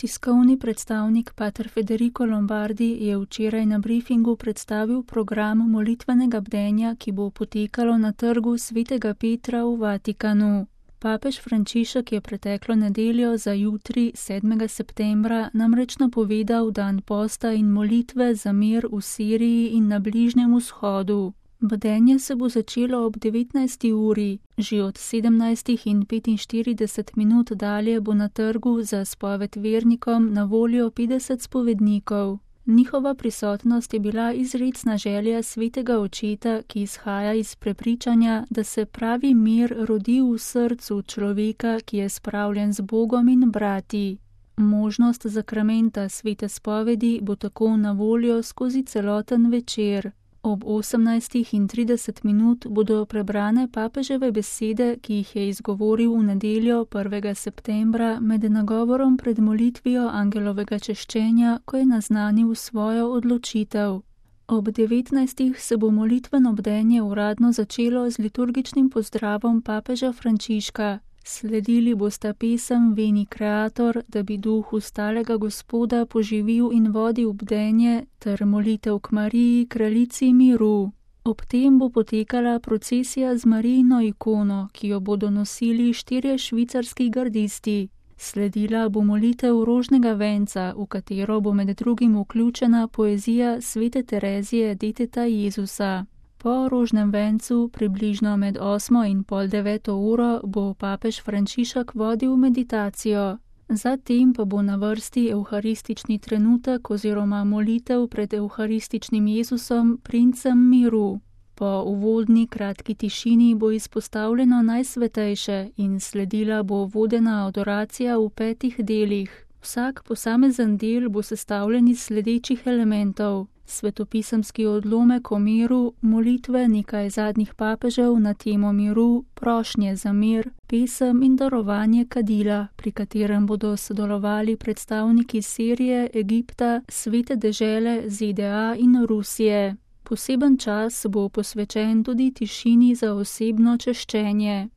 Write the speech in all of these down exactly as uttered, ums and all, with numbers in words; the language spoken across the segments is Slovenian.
Tiskovni predstavnik pater Federico Lombardi je včeraj na briefingu predstavil program molitvenega bdenja, ki bo potekalo na trgu svetega Petra v Vatikanu. Papež Frančišek je preteklo nedeljo za jutri, sedmega septembra, namreč napovedal dan posta in molitve za mir v Siriji in na Bližnjem vzhodu. Bdenje se bo začelo ob devetnajsti uri, že od sedemnajstih in petinštirideset minut dalje bo na trgu za spoved vernikom na voljo petdeset spovednikov. Njihova prisotnost je bila izrecna želja svetega očeta, ki izhaja iz prepričanja, da se pravi mir rodi v srcu človeka, ki je spravljen z Bogom in brati. Možnost zakramenta svete spovedi bo tako na voljo skozi celoten večer. Ob osemnajstih in trideset minut bodo prebrane papeževe besede, ki jih je izgovoril v nedeljo prvega septembra med nagovorom pred molitvijo angelovega češčenja, ko je naznanil svojo odločitev. Ob devetnajstih se bo molitveno bdenje uradno začelo z liturgičnim pozdravom papeža Frančiška. Sledili bosta pesem Veni Creator, da bi duh ustalega Gospoda poživil in vodil bdenje, ter molitev k Mariji, kraljici miru. Ob tem bo potekala procesija z Marijino ikono, ki jo bodo nosili štirje švicarski gardisti. Sledila bo molitev rožnega venca, v katero bo med drugim vključena poezija svete Terezije, deteta Jezusa. Po rožnem vencu, približno med osmo in pol deveto uro, bo papež Frančišek vodil meditacijo. Zatem pa bo na vrsti evharistični trenutek oziroma molitev pred evharističnim Jezusom, princem miru. Po uvodni kratki tišini bo izpostavljeno najsvetejše in sledila bo vodena adoracija v petih delih. Vsak posamezen del bo sestavljen iz sledečih elementov: svetopisemski odlomek o miru, molitve nekaj zadnjih papežev na temo miru, prošnje za mir, pesem in darovanje kadila, pri katerem bodo sodelovali predstavniki Sirije, Egipta, Svete dežele, Z D A in Rusije. Poseben čas bo posvečen tudi tišini za osebno češčenje.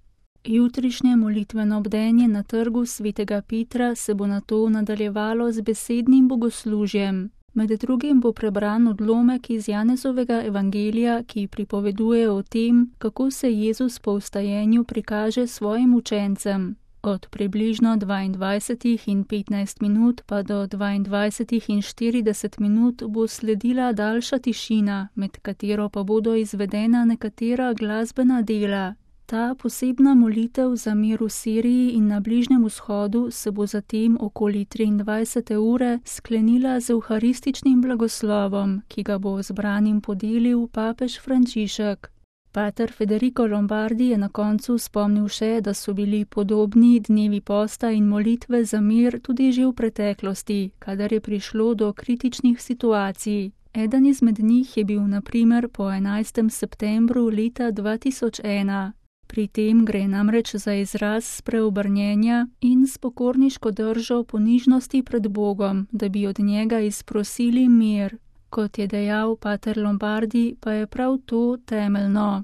Jutrišnje molitveno bdenje na trgu svetega Petra se bo nato nadaljevalo z besednim bogoslužjem. Med drugim bo prebran odlomek iz Janezovega evangelija, ki pripoveduje o tem, kako se Jezus po vstajenju prikaže svojim učencem. Od približno dvaindvajsetih in petnajst minut pa do dvaindvajsetih in štirideset minut bo sledila daljša tišina, med katero pa bodo izvedena nekatera glasbena dela. Ta posebna molitev za mir v Siriji in na Bližnjem vzhodu se bo zatem okoli triindvajsete ure sklenila z evharističnim blagoslovom, ki ga bo zbranim podelil papež Frančišek. Pater Federico Lombardi je na koncu spomnil še, da so bili podobni dnevi posta in molitve za mir tudi že v preteklosti, kadar je prišlo do kritičnih situacij. Eden izmed njih je bil na primer po enajstem septembru leta dva tisoč ena. Pri tem gre namreč za izraz spreobrnjenja in s pokorniško držo ponižnosti pred Bogom, da bi od njega izprosili mir. Kot je dejal pater Lombardi, pa je prav to temeljno.